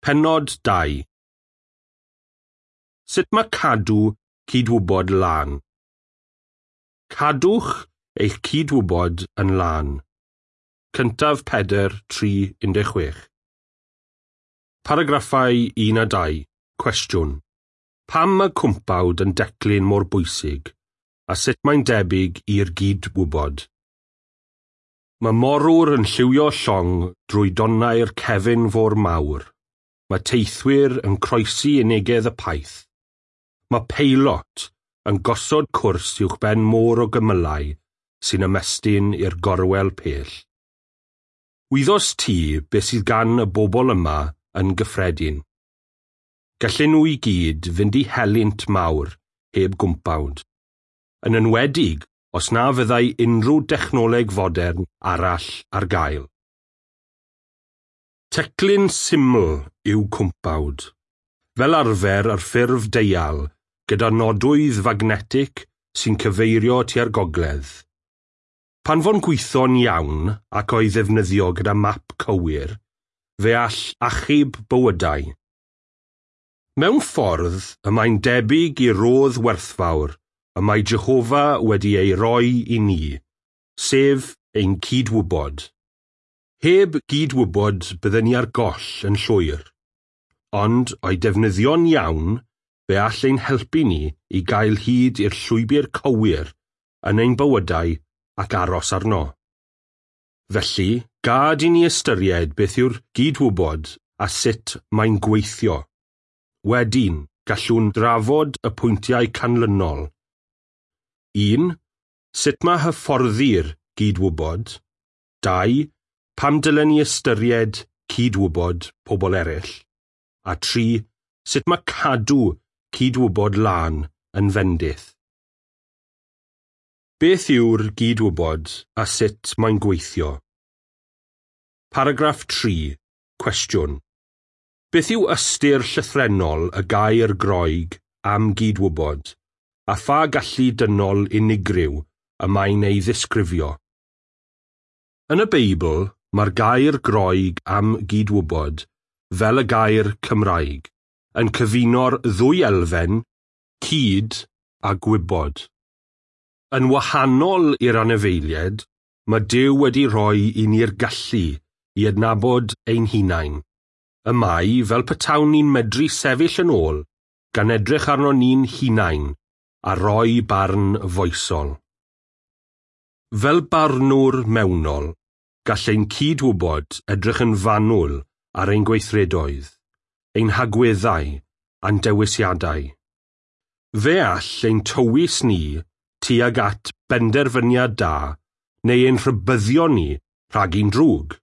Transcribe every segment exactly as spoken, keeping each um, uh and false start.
Pennod dau. Sut mae cadw cydwybod lân? Cadwch eich cydwybod yn lân. Cyntaf Pedr tri un deg chwech. Paragraffau un a dau. Cwestiwn. Pam mae cwmpawd yn declyn mor bwysig, a sut mae'n debyg i'r gydwybod? Mae morwr yn lliwio llong drwy donnau'r cefn fôr mawr. Mae teithwyr yn croesi unigedd y paith. Mae peilot yn gosod cwrs uwchben môr o gymylau sy'n ymestyn i'r gorwel pell. Wyddost ti beth sydd gan y bobl yma yn gyffredin? Gallen nhw i gyd fynd i helynt mawr heb gwmpawd, yn enwedig os na fyddai unrhyw dechnoleg fodern arall ar gael. Teclyn syml yw cwmpawd, fel arfer ar ffurf deial gyda nodwydd fagnetig sy'n cyfeirio tua'r gogledd. Pan fo'n gweithio'n iawn ac o'i ddefnyddio gyda map cywir, fe all achub bywydau. Mewn ffordd y mae'n debyg i rodd werthfawr y mae Jehofa wedi ei roi i ni, sef ein cydwybod. Heb gydwybod bydden ni ar goll yn llwyr, ond o'i defnyddio'n iawn, fe all ein helpu ni i gael hyd i'r llwybr cywir yn ein bywydau ac aros arno. Felly, gad i ni ystyried beth yw'r gydwybod a sut mae'n gweithio. Wedyn, gallwn drafod y pwyntiau canlynol. Un. Sut mae hyfforddi'r gydwybod. Dau. Pam dylen ni ystyried cydwybod pobl eraill? A tri, sut mae cadw cydwybod lân yn fendith? Beth yw'r gydwybod a sut mae'n gweithio? Paragraff tri. Cwestiwn. Beth yw ystyr llythrennol y gair Groeg am gydwybod, a pha gallu dynol unigryw y mae'n ei ddisgrifio? Yn y Beibl, mae'r gair Groeg am gydwybod, fel y gair Cymraeg, yn cyfuno'r ddwy elfen, cyd a gwybod. Yn wahanol i'r anifeiliaid, mae Duw wedi rhoi i ni'r gallu i adnabod ein hunain. Y mae, fel petawn ni'n medru sefyll yn ôl, gan edrych arno ni'n hunain, a roi barn foesol. Fel barnwr mewnol, gall ein cydwybod edrych yn fanwl ar ein gweithredoedd, ein hagweddau a'n dewisiadau. Fe all ein tywys ni tuag at benderfyniad da neu ein rhybuddio ni rhag un drwg.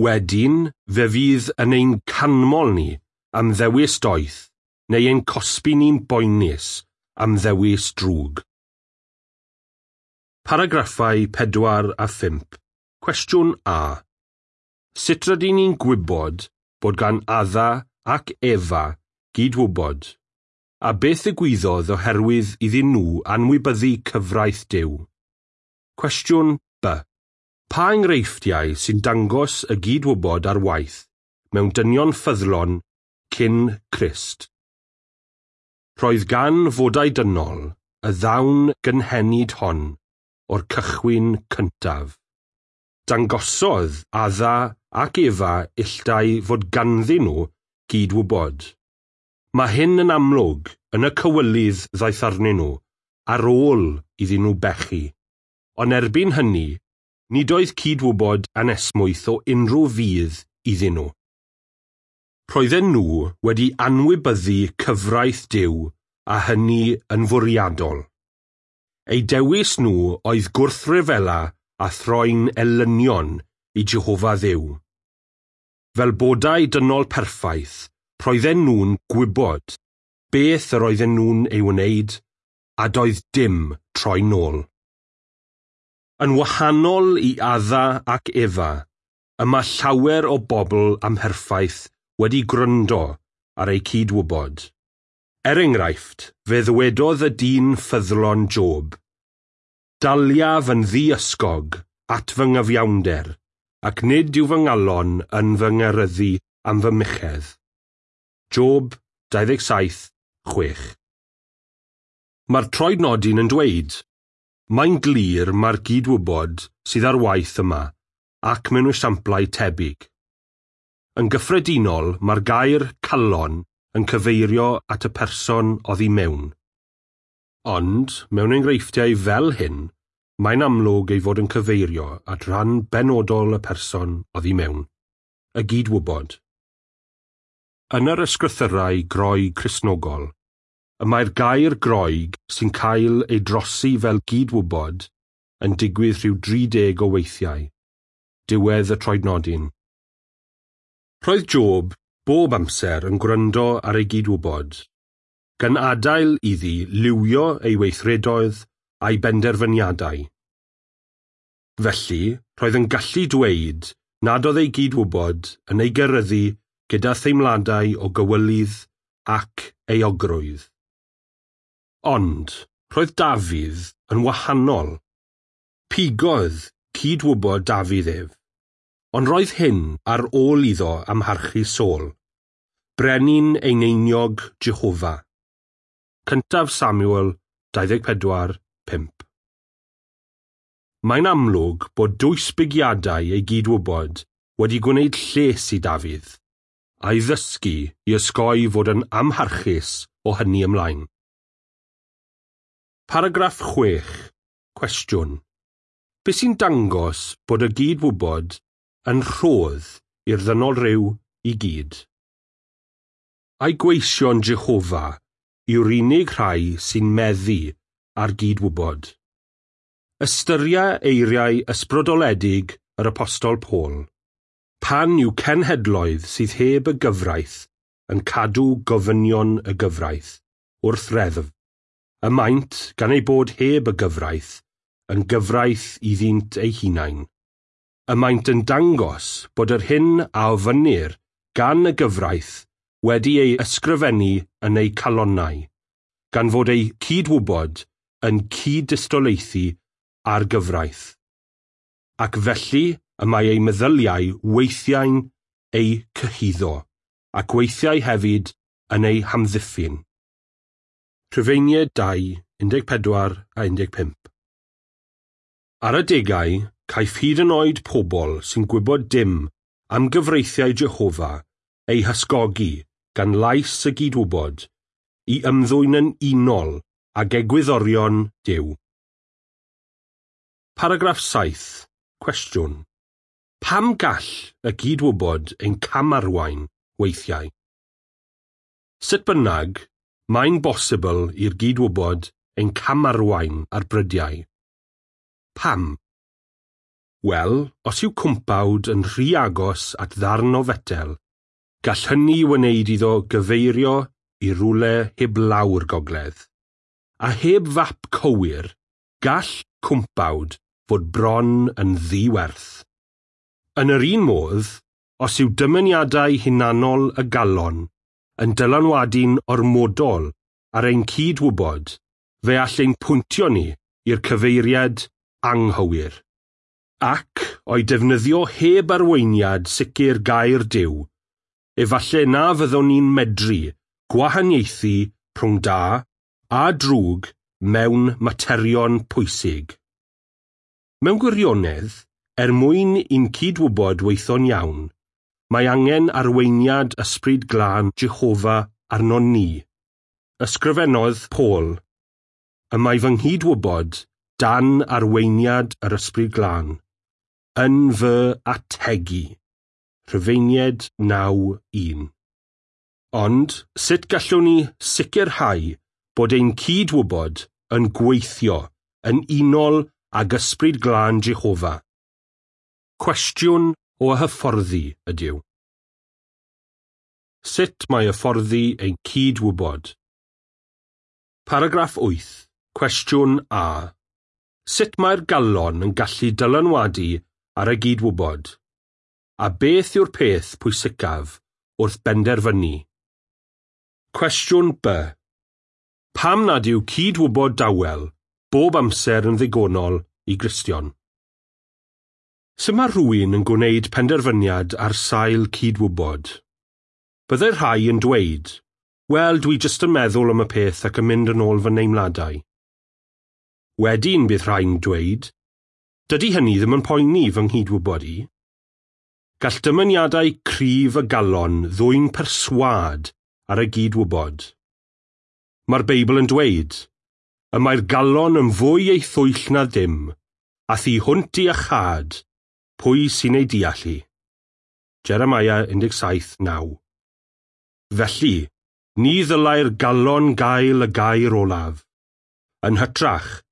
Wedyn, fe fydd yn ein canmol ni am ddewis doeth neu ein cosbi ni'n boenus am ddewis drwg. Paragraffau pedwar a phump. Cwestiwn A. Sut rydyn ni'n gwybod bod gan Adda ac Efa gydwybod, a beth ddigwyddodd oherwydd iddyn nhw anwybyddu cyfraith Duw? Cwestiwn B. Pa enghreifftiau sy'n dangos y gydwybod ar waith mewn dynion ffyddlon cyn Crist? Roedd gan fodau dynol y ddawn gynhenid hon o'r cychwyn cyntaf. Dangosodd Adda ac Efa ill dau fod ganddyn nhw gydwybod. Mae hyn yn amlwg yn y cywilydd ddaeth arnyn nhw ar ôl iddyn nhw bechu. Ond erbyn hynny, nid oedd cydwybod anesmwyth o unrhyw fudd iddyn nhw. Roedden nhw wedi anwybyddu cyfraith Duw a hynny yn fwriadol. Eu dewis nhw oedd gwrthryfela a throi'n elynion i Jehofa Dduw. Fel bodau dynol perffaith, roedden nhw'n gwybod beth yr oedden nhw'n ei wneud, a doedd dim troi nôl. Yn wahanol i Adda ac Efa, y mae llawer o bobl amherffaith wedi gwrando ar eu cydwybod. Er enghraifft, fe ddywedodd y dyn ffyddlon Job, "Daliaf yn ddiysgog at fy nghyfiawnder, ac nid yw fy ngalon yn fy ngeryddu am fy muchedd." Job dau ddeg saith, chwech. Mae'r troednodyn yn dweud, mae'n glir mae'r gydwybod sydd ar waith yma ac mewn esiamplau tebyg. Yn gyffredinol, mae'r gair calon yn cyfeirio at y person oddi mewn. Ond, mewn enghreifftiau fel hyn, mae'n amlwg ei fod yn cyfeirio at ran benodol y person oddi mewn, y gydwybod. Yn yr ysgrythyrau Groeg Cristnogol, y mae'r gair Groeg sy'n cael ei drosi fel gydwybod yn digwydd rhyw dri deg o weithiau. Diwedd y troednodyn. Roedd Job bob amser yn gwrando ar ei gydwybod, gan adael iddi liwio ei weithredoedd a'i benderfyniadau. Felly, roedd yn gallu dweud nad oedd ei gydwybod yn ei geryddu gyda theimladau o gywilydd ac euogrwydd. Ond, roedd Dafydd yn wahanol. Pigodd cydwybod Dafydd ef, ond roedd hyn ar ôl iddo amharchu Saul, brenin eneiniog Jehofa. Cyntaf Samuel dau ddeg pedwar, pump. Mae'n amlwg bod dwysbigiadau ei gydwybod wedi gwneud lles i Dafydd, a'i ddysgu i osgoi fod yn amharchus o hynny ymlaen. Paragraff chwech. Cwestiwn. Be sy'n dangos bod y gydwybod yn rhodd i'r ddynol ryw i gyd? Ai gweision Jehofa yw'r unig rhai sy'n meddu ar gydwybod? Ystyria eiriau ysbrydoledig yr Apostol Paul, pan yw cenhedloedd sydd heb y gyfraith yn cadw gofynion y gyfraith wrth reddf, y maent gan ei bod heb y gyfraith yn gyfraith iddynt eu hunain. Y maent yn dangos bod yr hyn a ofynnir gan y gyfraith wedi ei ysgrifennu yn eu calonnau, gan fod eu cydwybod yn cyd-dystolaethu â'r gyfraith. Ac felly y mae eu meddyliau weithiau'n eu cyhuddo, ac weithiau hefyd yn eu hamddiffyn. Rhufeiniaid dau, un deg pedwar a un deg pump. Ar adegau, caiff hyd yn oed pobl sy'n gwybod dim am gyfreithiau Jehofa eu hysgogi gan lais y gydwybod i ymddwyn yn unol ag egwyddorion Duw. Paragraff saith. Cwestiwn. Pam gall y gydwybod ein camarwain weithiau? Sut bynnag, mae'n bosibl i'r gydwybod ein camarwain ar brydiau. Pam? Wel, os yw cwmpawd yn rhy agos at ddarn o fetel, gall hynny wneud iddo gyfeirio i rywle heb lawr gogledd. A heb fap cywir, gall cwmpawd fod bron yn ddiwerth. Yn yr un modd, os yw dymuniadau hunanol y galon yn dylanwadu'n ormodol ar ein cydwybod, fe all ein pwyntio ni i'r cyfeiriad anghywir. Ac, o'i defnyddio heb arweiniad sicr gair Duw, efallai na fyddwn ni'n medru gwahaniaethu rhwng da a drwg mewn materion pwysig. Mewn gwirionedd, er mwyn i'n cydwybod weithio'n iawn, mae angen arweiniad ysbryd glân Jehofa arnon ni. Ysgrifennodd Paul, y mae fy nghydwybod dan arweiniad yr ysbryd glân, yn fy ategu. Rhufeiniaid naw un. Ond, sut gallwn ni sicrhau bod ein cydwybod yn gweithio yn unol ag ysbryd glân Jehofa? Cwestiwn o hyfforddi ydyw. Sut mae hyfforddi ein cydwybod? Paragraff wyth. Cwestiwn A. Sut mae'r galon yn gallu dylanwadu ar y gydwybod? A beth yw'r peth pwysicaf wrth benderfynu? Cwestiwn B. Pam nad yw cydwybod dawel bob amser yn ddigonol i Gristion? Sut mae rhywun yn gwneud penderfyniad ar sail cydwybod? Byddai rhai yn dweud, "Wel, dwi jyst yn meddwl am y peth ac yn mynd yn ôl fy neimladau." Wedyn bydd rhai'n dweud, "Dydy hynny ddim yn poeni fy nghydwybod i." Gall dymuniadau cryf y galon ddwyn perswâd ar y gydwybod. Mae'r Beibl yn dweud, "Y mae'r galon yn fwy ei thwyll na dim, a thu hwnt i iachâd, pwy sy'n ei deall hi?" Jeremiah un deg saith naw. Felly, ni ddylai'r galon gael y gair olaf. Yn hytrach,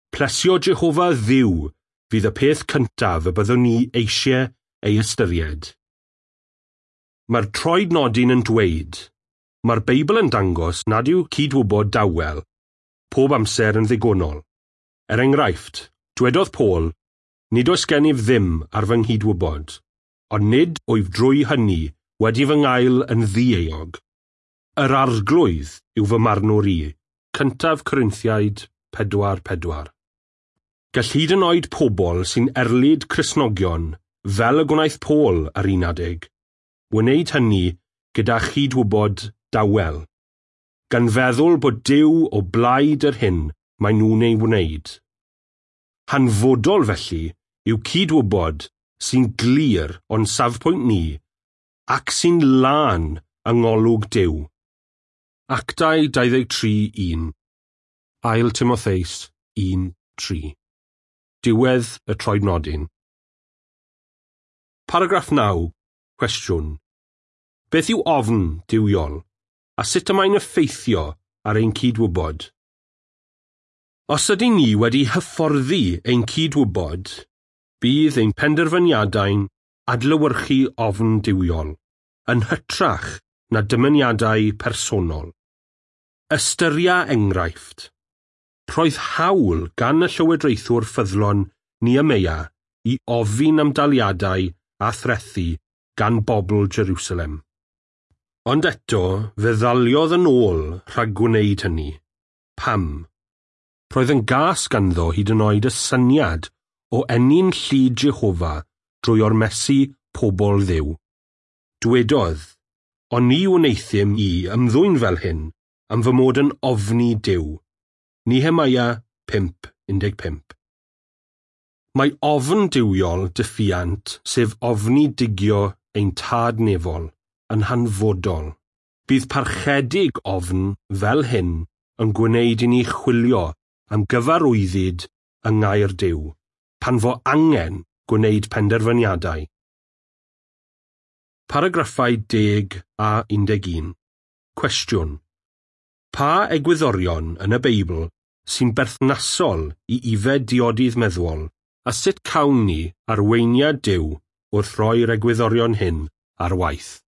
plesio Jehofa Dduw fydd y peth cyntaf y byddwn ni eisiau ei ystyried. Mae'r troednodyn yn dweud, mae'r Beibl yn dangos nad yw cydwybod dawel pob amser yn ddigonol. Er enghraifft, dwedodd Paul, "Nid oes gennyf ddim ar fy nghydwybod, ond nid wyf drwy hynny wedi fy ngael yn ddieuog. Yr Arglwydd yw fy marnwr i." Cyntaf Corinthiaid pedwar pedwar. Gall hyd yn oed pobl sy'n erlid Cristnogion, fel y gwnaeth Paul ar un adeg, wneud hynny gyda chydwybod dawel, gan feddwl bod Duw o blaid yr hyn maen nhw'n ei wneud. Hanfodol felly yw cydwybod sy'n glir o'n safbwynt ni ac sy'n lân yng ngolwg Duw. Actau dau ddeg tri un, Ail Timotheus un tri. Diwedd y troednodyn. Paragraff naw, cwestiwn. Beth yw ofn duwiol, a sut y mae'n effeithio ar ein cydwybod? Os ydyn ni wedi hyfforddi ein cydwybod, bydd ein penderfyniadau'n adlewyrchu ofn duwiol, yn hytrach na dymuniadau personol. Ystyria enghraifft. Roedd hawl gan y llywodraethwr ffyddlon Nehemia i ofyn am daliadau a threthi gan bobl Jerusalem. Ond eto, fe ddaliodd yn ôl rhag gwneud hynny. Pam? Roedd yn gas ganddo hyd yn oed y syniad o ennyn llid Jehofa drwy ormesu pobl Dduw. Dwedodd, "Ond ni wneuthum i ymddwyn fel hyn, am fy mod yn ofni Duw." Nehemia pump un deg pump. Mae ofn duwiol diffuant, sef ofni digio ein tad nefol, yn hanfodol. Bydd parchedig ofn fel hyn yn gwneud i ni chwilio am gyfarwyddyd yng ngair Duw, pan fo angen gwneud penderfyniadau. Paragraffau deg a un deg un. Cwestiwn. Pa egwyddorion yn y Beibl sy'n berthnasol i ifed diodydd meddwol, a sut cawn ni arweiniad Duw wrth roi'r egwyddorion hyn ar waith?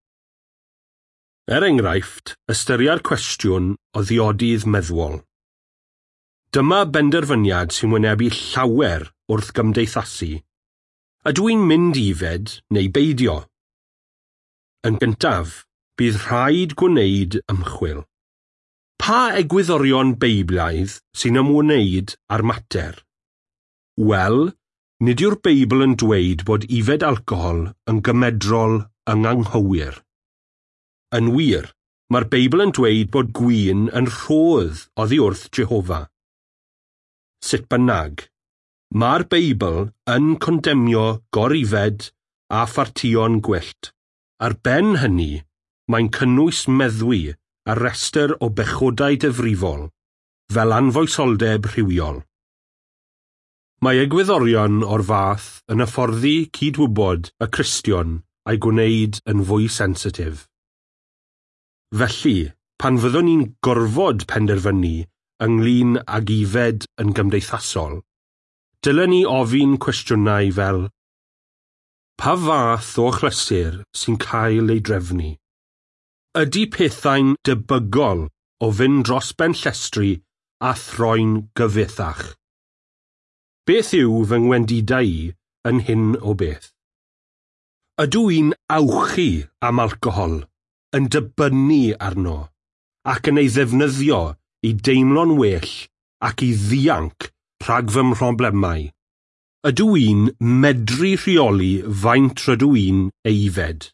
Er enghraifft, ystyria'r cwestiwn o ddiodydd meddwol. Dyma benderfyniad sy'n wynebu llawer wrth gymdeithasu. Ydw i'n mynd i ifed neu beidio? Yn gyntaf, bydd rhaid gwneud ymchwil. Pa egwyddorion Beiblaidd sy'n ymwneud â'r mater? Wel, nid yw'r Beibl yn dweud bod ifed alcohol yn gymedrol yng anghywir. Yn wir, mae'r Beibl yn dweud bod gwin yn rhodd oddi wrth Jehofa. Sut bynnag, mae'r Beibl yn condemnio gorifed a phartïon gwyllt. Ar ben hynny, mae'n cynnwys meddwi ar restr o bechodau difrifol, fel anfoesoldeb rhywiol. Mae egwyddorion o'r fath yn hyfforddi cydwybod y Cristion a'i gwneud yn fwy sensitif. Felly, pan fyddwn ni'n gorfod penderfynu ynglyn ag ifed yn gymdeithasol, dylen ni ofyn cwestiynau fel pa fath o achlysur sy'n cael ei drefnu? Ydy pethau'n debygol o fynd dros ben llestri a throi'n gyfithach? Beth yw fy ngwendidau i yn hyn o beth? Ydw i'n awchu am alcohol, yn dibynnu arno, ac yn ei ddefnyddio i deimlo'n well ac i ddianc rhag fy mhroblemau? Ydw i'n medru rheoli faint rydw i'n ei ifed?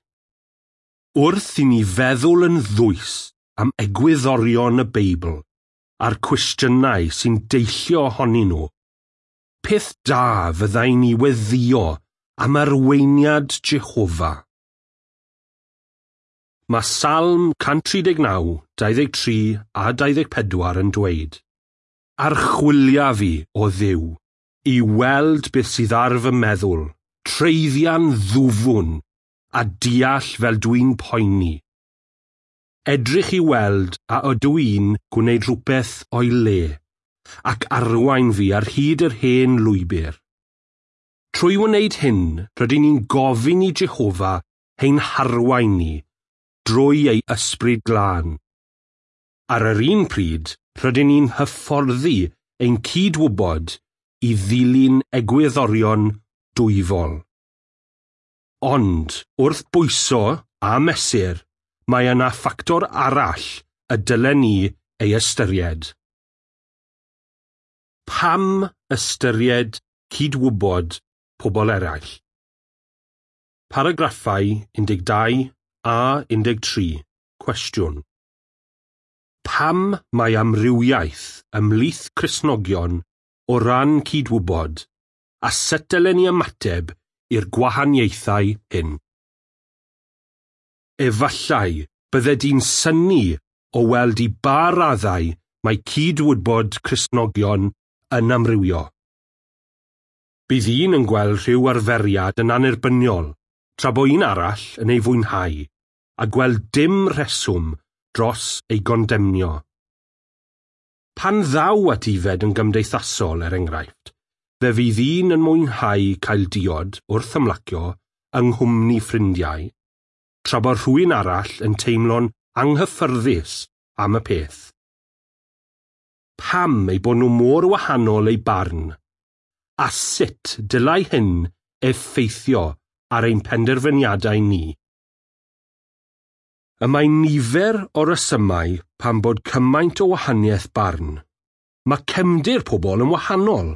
Wrth i ni feddwl yn ddwys am egwyddorion y Beibl a'r cwestiynau sy'n deillio ohonyn nhw, peth da fyddai ni weddïo am arweiniad Jehofa. Mae Salm cant tri deg naw, dau ddeg tri a dau ddeg pedwar yn dweud, Archwilia fi, o Dduw, i weld beth sydd ar fy meddwl, treiddian ddwfwn, a deall fel dwi'n poeni. Edrych i weld a ydw i'n gwneud rhywbeth o'i le, ac arwain fi ar hyd yr hen lwybr. Trwy wneud hyn, rydyn ni'n gofyn i Jehofa ein harwain ni drwy ei ysbryd glân. Ar yr un pryd, rydyn ni'n hyfforddi ein cydwybod i ddilyn egwyddorion dwyfol. Ond, wrth bwyso a mesur, mae yna ffactor arall y dylen ni ei ystyried. Pam ystyried cydwybod pobl eraill? Paragraffau un deg dau a un deg tri. Cwestiwn. Pam mae amrywiaeth ymhlith Cristnogion o ran cydwybod, a sut dylen ni ymateb i'r gwahaniaethau hyn? Efallai bydde di'n synnu o weld i ba raddau mae cydwybod Cristnogion yn amrywio. Bydd un yn gweld rhyw arferiad yn annerbyniol, tra bo un arall yn ei fwynhau, a gweld dim rheswm dros ei gondemnio. Pan ddaw at ifed yn gymdeithasol, er enghraifft, fe fydd un yn mwynhau cael diod wrth ymlacio yng nghwmni ffrindiau, tra bod rhywun arall yn teimlo'n anghyffyrddus am y peth. Pam eu bod nhw mor wahanol eu barn, a sut dylai hyn effeithio ar ein penderfyniadau ni? Y mae nifer o resymau pam bod cymaint o wahaniaeth barn. Mae cefndir pobl yn wahanol.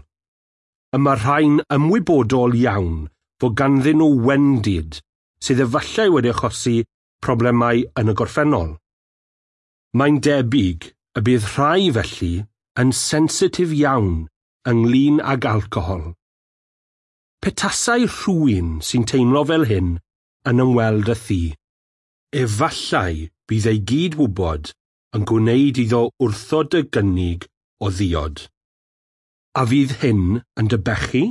Y mae rhai'n ymwybodol iawn fod ganddyn nhw wendid sydd efallai wedi achosi problemau yn y gorffennol. Mae'n debyg y bydd rhai felly yn sensitif iawn ynglyn ag alcohol. Petasai rhywun sy'n teimlo fel hyn yn ymweld â thi, efallai bydd ei gydwybod yn gwneud iddo wrthod y gynnig o ddiod. A fydd hyn yn dy bechu?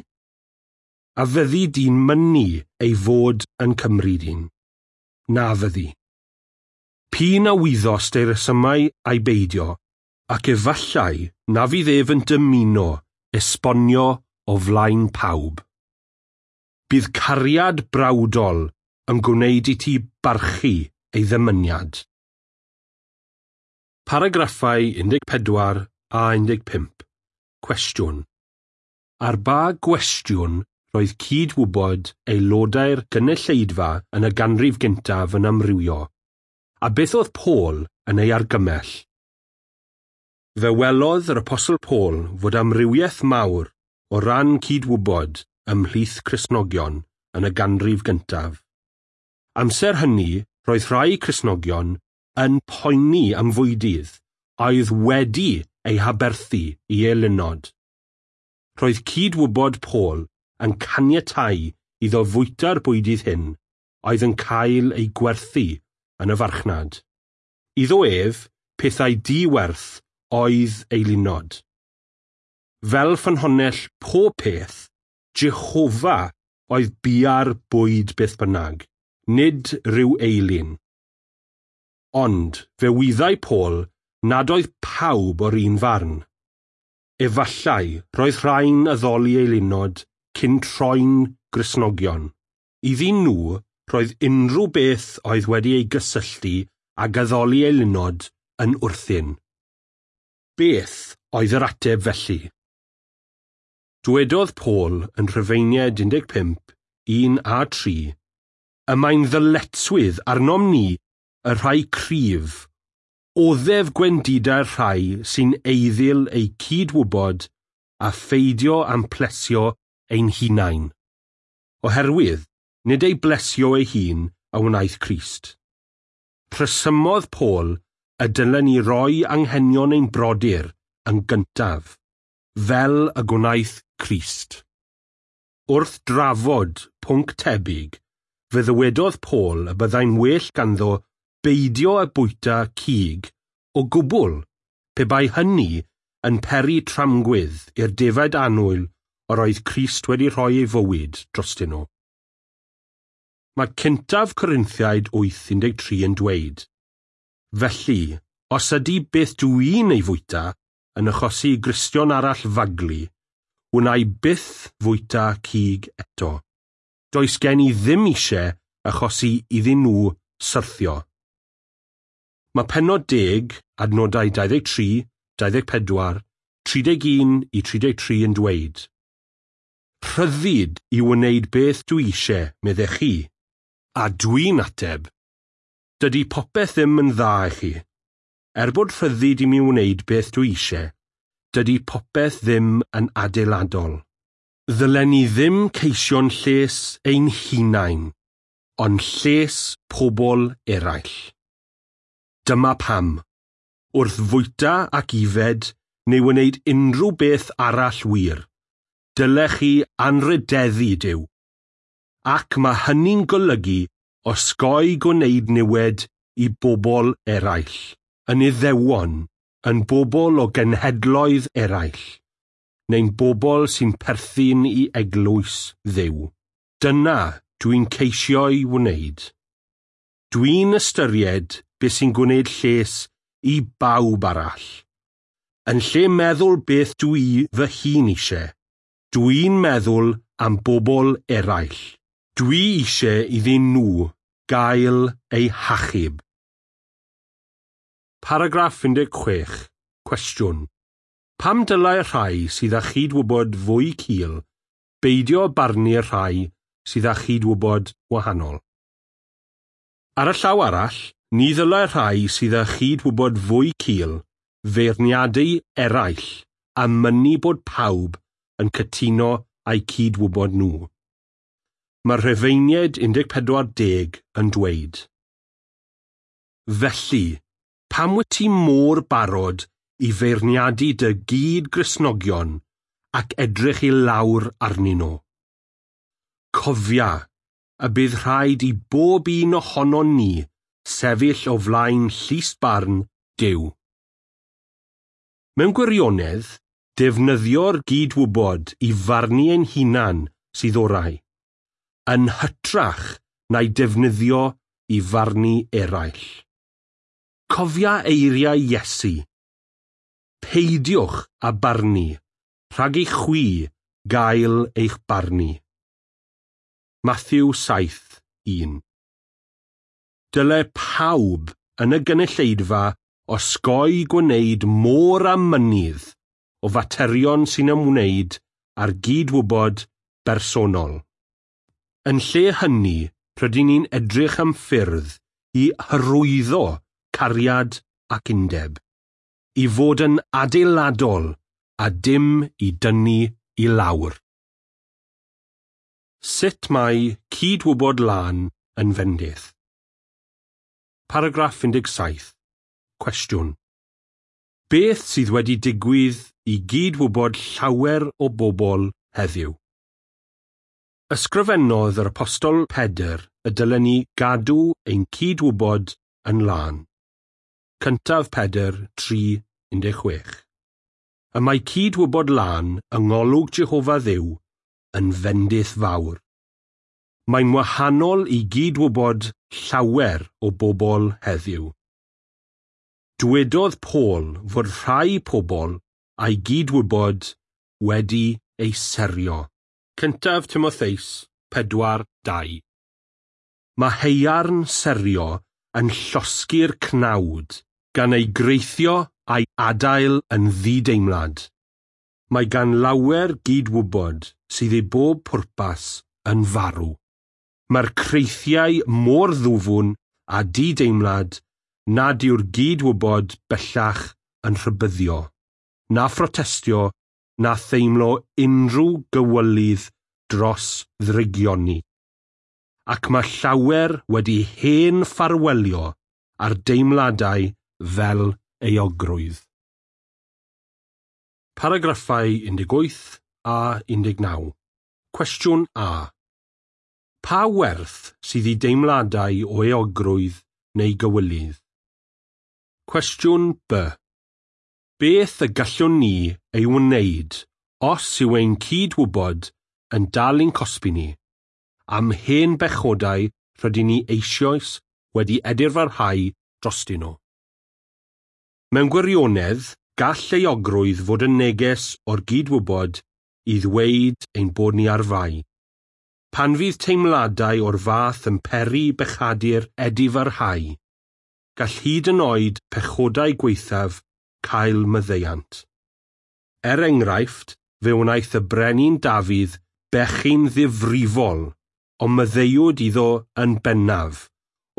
A fyddi di'n mynnu ei fod yn cymryd un? Na fyddi. P'un a wyddost ei resymau a'i beidio, ac efallai na fydd ef yn dymuno esbonio o flaen pawb. Bydd cariad brawdol yn gwneud i ti barchu ei ddymuniad. Paragraffau un deg pedwar a un deg pump. Cwestiwn. Ar ba gwestiwn roedd cydwybod aelodau'r gynulleidfa yn y ganrif gyntaf yn amrywio, a beth oedd Paul yn ei argymell? Fe welodd yr Apostol Paul fod amrywiaeth mawr o ran cydwybod ymhlith Cristnogion yn y ganrif gyntaf. Amser hynny, roedd rhai Cristnogion yn poeni am fwydydd oedd wedi ei haberthu i eilunod. Roedd cydwybod Paul yn caniatáu iddo fwyta'r bwydydd hyn oedd yn cael eu gwerthu yn y farchnad. Iddo ef, pethau diwerth oedd eilunod. Fel ffynhonnell pob peth, Jehofa oedd bia'r bwyd beth bynnag, nid rhyw eilun. Ond fe wyddai Paul nad oedd pawb o'r un farn. Efallai roedd rhai'n addoli eilunod cyn troi'n Gristnogion. Iddyn nhw, roedd unrhyw beth oedd wedi ei gysylltu ag addoli eilunod yn wrthun. Beth oedd yr ateb felly? Dwedodd Paul yn Rhufeiniaid un deg pump, un a tri, y mae'n ddyletswydd arnom ni y rhai cryf, oddef gwendidau'r rhai sy'n eiddil eu cydwybod a pheidio am plesio ein hunain. Oherwydd, nid ei blesio ei hun a wnaeth Crist. Rhesymodd Paul y dylen ni roi anghenion ein brodyr yn gyntaf, fel y gwnaeth Crist. Wrth drafod pwnc tebyg, fe ddywedodd Paul y byddai'n well ganddo beidio â bwyta cig o gwbl, pe bai hynny yn peri tramgwydd i'r defaid annwyl yr oedd Crist wedi rhoi ei fywyd drostyn nhw. Mae cyntaf Corinthiaid wyth un deg tri yn dweud, "Felly, os ydy beth dwi'n ei fwyta yn achosi i Gristion arall faglu, wna i byth fwyta cig eto. Does gen i ddim eisiau achosi iddyn nhw syrthio." Mae pennod deg, adnodau dau ddeg tri, dau ddeg pedwar, tri deg un i tri deg tri yn dweud, "Rhyddid i wneud beth dwi eisiau, meddech chi, a dwi'n ateb. Dydy popeth ddim yn dda i chi. Er bod rhyddid i mi wneud beth dwi eisiau, dydy popeth ddim yn adeiladol. Ddylen ni ddim ceisio'n lles ein hunain, ond lles pobl eraill. Dyma pam. Wrth fwyta ac ifed neu wneud unrhyw beth arall wir, dylech chi anrhydeddu Duw. Ac mae hynny'n golygu osgoi gwneud niwed i bobl eraill, yn Iddewon, yn bobl o genhedloedd eraill, neu'n bobl sy'n perthyn i eglwys Dduw. Dyna dwi'n ceisio'i wneud. Dwi'n ystyried beth sy'n gwneud lles i bawb arall. Yn lle meddwl beth dwi fy hun eisiau, dwi'n meddwl am bobl eraill. Dwi eisiau iddyn nhw gael eu hachub." Paragraff un deg chwech. Cwestiwn. Pam dylai'r rhai sydd â chydwybod fwy cul beidio barnu'r rhai sydd â chydwybod wahanol? Ar y llaw arall, ni ddylai'r rhai sydd â chydwybod fwy cul feirniadu eraill a mynnu bod pawb yn cytuno â'u cydwybod nhw. Mae'r Rhufeiniaid un deg pedwar deg yn dweud, "Felly, pam wyt ti mor barod i feirniadu dy gyd-Gristnogion ac edrych i lawr arnyn nhw? Cofia y bydd rhaid i bob un ohonon ni sefyll o flaen llys barn Duw." Mewn gwirionedd, defnyddio'r gydwybod i farnu ein hunan sydd orau, yn hytrach na'i defnyddio i farnu eraill. Cofia eiriau Iesu, "Peidiwch â barnu, rhag i chwi gael eich barnu." Matthew saith un. Dyle pawb yn y gynulleidfa osgoi gwneud môr a mynydd o faterion sy'n ymwneud â'r gydwybod bersonol. Yn lle hynny, rydyn ni'n edrych am ffyrdd i hyrwyddo cariad ac undeb, i fod yn adeiladol a dim i dynnu i lawr. Sut mae cydwybod lân yn fendith? Paragraff un deg saith. Cwestiwn. Beth sydd wedi digwydd i gydwybod llawer o bobl heddiw? Ysgrifennodd yr Apostol Pedr y dylen ni gadw ein cydwybod yn lân. Cyntaf Pedr tri un deg chwech. Y mae cydwybod lân yng ngolwg Jehofa Dduw yn fendith fawr. Mae'n wahanol i gydwybod llawer o bobl heddiw. Dwedodd Paul fod rhai pobl a'i gydwybod wedi ei serio. Cyntaf Timotheus pedwar dau. Mae haearn serio yn llosgi'r cnawd, gan ei greithio a'i adael yn ddideimlad. Mae gan lawer gydwybod sydd i bob pwrpas yn farw. Mae'r creithiau mor ddwfwn a dideimlad nad yw'r gydwybod bellach yn rhybuddio, na phrotestio, na theimlo unrhyw gywilydd dros ddrygioni. Ac mae llawer wedi hen ffarwelio ar deimladau fel euogrwydd. Paragraffau un deg wyth a un deg naw. Cwestiwn A. Pa werth sydd i deimladau o euogrwydd neu gywilydd? Cwestiwn B. Beth y gallwn ni ei wneud os yw ein cydwybod yn dal i'n cosbi ni am hen bechodau rydyn ni eisoes wedi edifarhau drostyn nhw? Mewn gwirionedd, gall euogrwydd fod yn neges o'r gydwybod i ddweud ein bod ni ar fai. Pan fydd teimladau o'r fath yn peri bechadur edifarhau, gall hyd yn oed pechodau gwaethaf cael maddeuant. Er enghraifft, fe wnaeth y brenin Dafydd bechu'n ddifrifol, ond maddeuwyd iddo yn bennaf,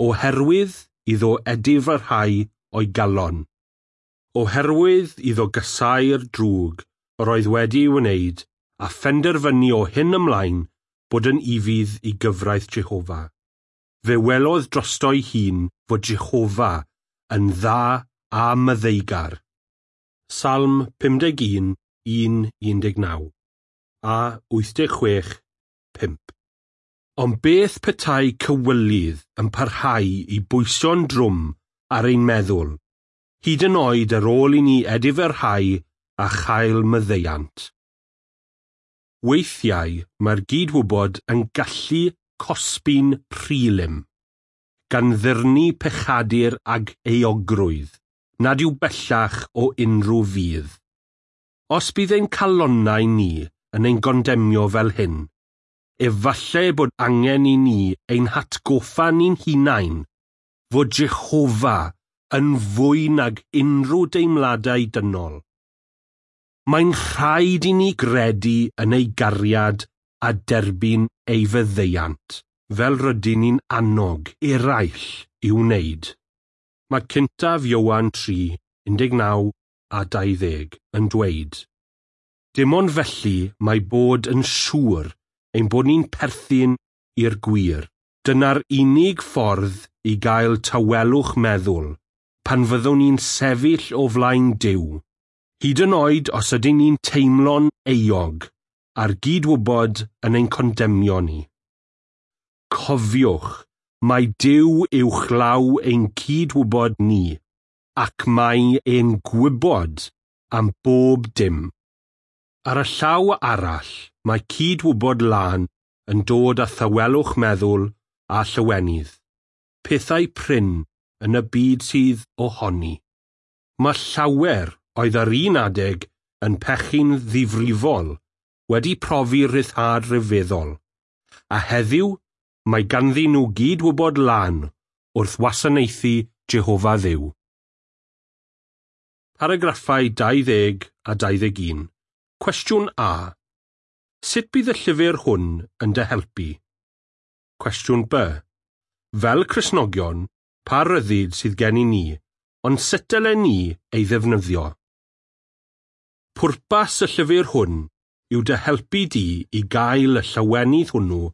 oherwydd iddo edifarhau o'i galon. Oherwydd iddo gasáu'r drwg yr oedd wedi ei wneud a phenderfynu o hyn ymlaen bod yn ufudd i gyfraith Jehofa. Fe welodd drosto'i hun fod Jehofa yn dda a maddeugar. Salm pum deg un, un un deg naw a wyth deg chwech, pump. Ond beth petai cywilydd yn parhau i bwyso'n drwm ar ein meddwl, hyd yn oed ar ôl i ni edifarhau a chael maddeuant? Weithiau mae'r gydwybod yn gallu cosbi'n rhylym, gan ddyrnu pechadur ag euogrwydd, nad yw bellach o unrhyw fudd. Os bydd ein calonnau ni yn ein gondemio fel hyn, efallai bod angen i ni ein hatgoffa ni'n hunain fod Jehofa yn fwy nag unrhyw deimladau dynol. Mae'n rhaid i ni gredu yn ei gariad a derbyn ei faddeuant, fel rydyn ni'n annog eraill i'w wneud. Mae cyntaf Ioan tri, un deg naw a dau ddeg yn dweud, dim ond felly mae bod yn siŵr ein bod ni'n perthyn i'r gwir. Dyna'r unig ffordd i gael tawelwch meddwl pan fyddwn ni'n sefyll o flaen Duw, hyd yn oed os ydyn ni'n teimlo'n euog a'r gydwybod yn ein condemnio ni. Cofiwch, mae Duw uwchlaw ein cydwybod ni, ac mae e'n gwybod am bob dim. Ar y llaw arall, mae cydwybod lân yn dod â thawelwch meddwl a llawenydd, pethau prin yn y byd sydd ohoni. Mae llawer oedd ar un adeg yn pechu'n ddifrifol wedi profi rhyddhad rhyfeddol, a heddiw mae ganddyn nhw gydwybod lân wrth wasanaethu Jehofa Dduw. Paragraffau dau ddeg a dau ddeg un. Cwestiwn A. Sut bydd y llyfr hwn yn dy helpu? Cwestiwn B. Fel Cristnogion, pa ryddid sydd gen i ni, ond sut dylen ni ei ddefnyddio? Pwrpas y llyfr hwn yw dy helpu di i gael y llawenydd hwnnw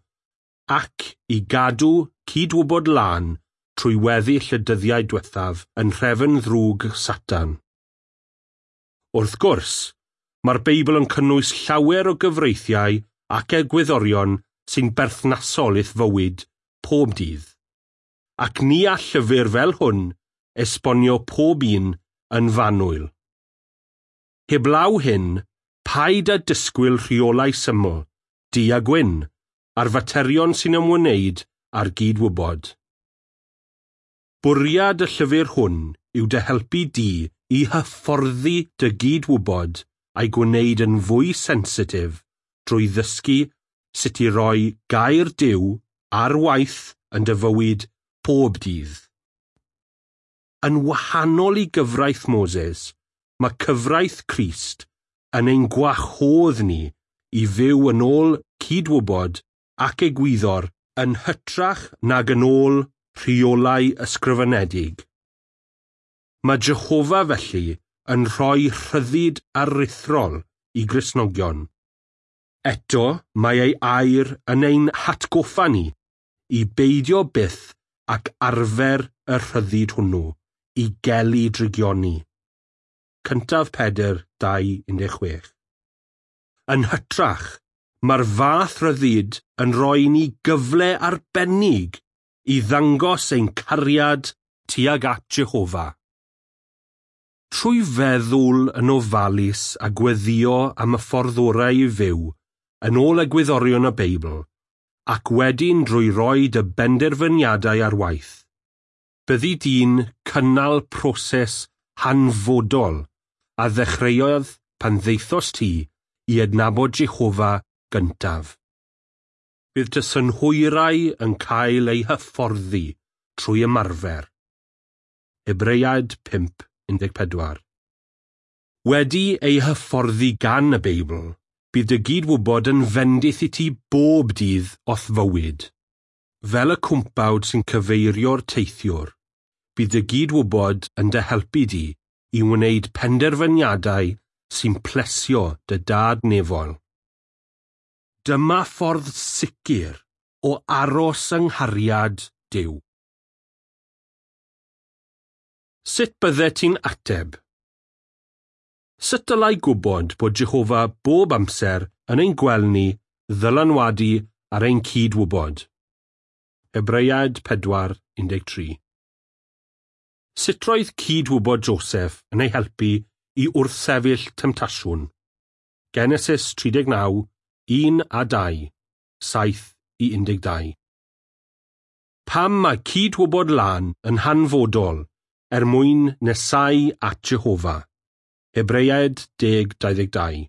ac i gadw cydwybod lân trwy weddill y dyddiau diwethaf yn nhrefn ddrwg Satan. Wrth gwrs, mae'r Beibl yn cynnwys llawer o gyfreithiau ac egwyddorion sy'n berthnasol i'th fywyd pob dydd, ac ni all llyfr fel hwn esbonio pob un yn fanwl. Heblaw hyn, paid â disgwyl rheolau syml, du a gwyn, ar faterion sy'n ymwneud â'r gydwybod. Bwriad y llyfr hwn yw dy helpu di i hyfforddi dy gydwybod a'i gwneud yn fwy sensitif drwy ddysgu sut i roi gair Duw ar waith yn dy fywyd pob dydd. Yn wahanol i gyfraith Moses, mae cyfraith Crist yn ein gwahodd ni i fyw yn ôl cydwybod ac egwyddor yn hytrach nag yn ôl rheolau ysgrifenedig. Mae Jehofa felly yn rhoi rhyddid aruthrol i Gristnogion. Eto, mae ei air yn ein hatgoffa ni i beidio byth ac arfer y rhyddid hwnnw i gelu drygioni. Cyntaf Pedr dau un deg chwech. Yn hytrach, mae'r fath ryddid yn rhoi ni gyfle arbennig i ddangos ein cariad tuag at Jehofa. Trwy feddwl yn ofalus a gweddïo am y ffordd orau i fyw, yn ôl egwyddorion y Beibl, ac wedyn drwy roi dy benderfyniadau ar waith, byddi di'n cynnal proses hanfodol a ddechreuodd pan ddaethost ti i adnabod Jehofa gyntaf. Bydd dy synhwyrau yn cael eu hyfforddi trwy ymarfer. Hebreaid pump un deg pedwar. Wedi ei hyfforddi gan y Beibl, bydd dy gydwybod yn fendith i ti bob dydd o'th fywyd. Fel y cwmpawd sy'n cyfeirio'r teithiwr, bydd dy gydwybod yn dy helpu di i wneud penderfyniadau sy'n plesio dy dad nefol. Dyma ffordd sicr o aros yng nghariad Duw. Sut byddet ti'n ateb? Sut dylai gwybod bod Jehofa bob amser yn ein gweld ni ddylanwadu ar ein cydwybod? Hebreaid pedwar un deg tri. Sut roedd cydwybod Joseph yn ei helpu i wrthsefyll temtasiwn? Genesis tri deg naw, un a dau, saith i un deg dau. Pam mae cydwybod lân yn hanfodol er mwyn nesau at Jehofa? Hebreaid deg dau ddeg dau.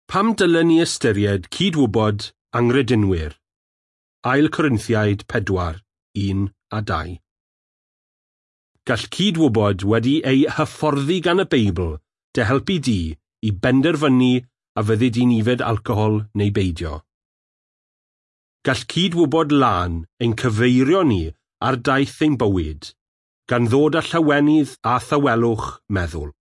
Pam dylen ni ystyried cydwybod anghredinwyr? Ail Corinthiaid pedwar, un a dau. Gall cydwybod wedi ei hyfforddi gan y Beibl dy helpu di i benderfynu a fyddi di'n yfed alcohol neu beidio. Gall cydwybod lân ein cyfeirio ni ar daith ein bywyd, gan ddod â llawenydd a thawelwch meddwl.